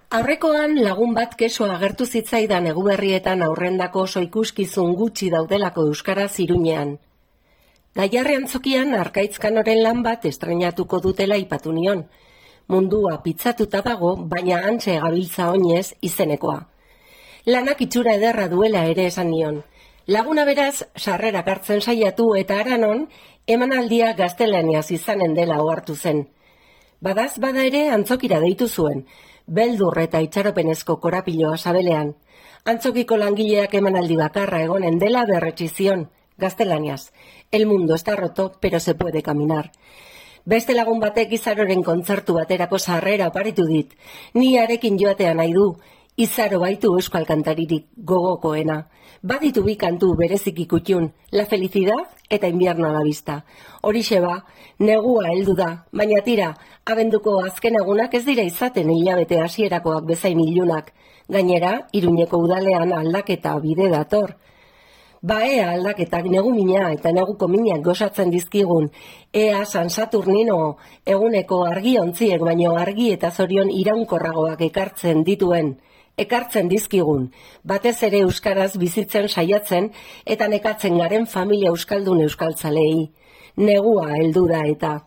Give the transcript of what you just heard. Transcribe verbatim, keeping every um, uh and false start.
Aurrekoan lagun bat keso agertu zitzaidan Eguberrietan aurrendako oso ikuskizun gutxi daudelako euskaraz Iruñean. Gaiarre antzokian Arkaitzkanoren lan bat estrenatuko dutela aipatu nion. Mundua pitzatuta dago, baina hantxe gabiltza oinez izenekoa. Lanak itxura ederra duela ere esan nion. Laguna beraz, sarrerak hartzen saiatu eta haranon, emanaldia gaztelaniaz izanen dela ohartu zen. Badaz bada ere antzokira deitu zuen, beldur eta itxaropenezko korapiloa sabelean. Antzokiko langileak emanaldi bakarra egonen dela berretsi zion, gaztelaniaz. El mundo está roto, pero se puede caminar. Beste lagun batek Izaroren kontzertu baterako sarrera oparitu dit. Ni harekin joatea nahi du. Izaro baitu euskal kantaririk gogokoena. Baditu bi kantu bereziki kutxun, La felicidad eta Invierno a la vista. Horixe ba, negua heldu da, baina tira, abenduko azken egunak ez dira izaten hilabete hasierakoak bezain ilunak. Gainera, Iruñeko udalean aldaketa bide dator. Ba ea aldaketak negu mina eta neguko minak gozatzen dizkigun, ea San Saturnino eguneko argiontziek baino argi eta zorion iraunkorragoak ekartzen dituen, ekartzen dizkigun, batez ere euskaraz bizitzen saiatzen eta nekatzen garen familia euskaldun euskaltzalei. Negua heldu da eta...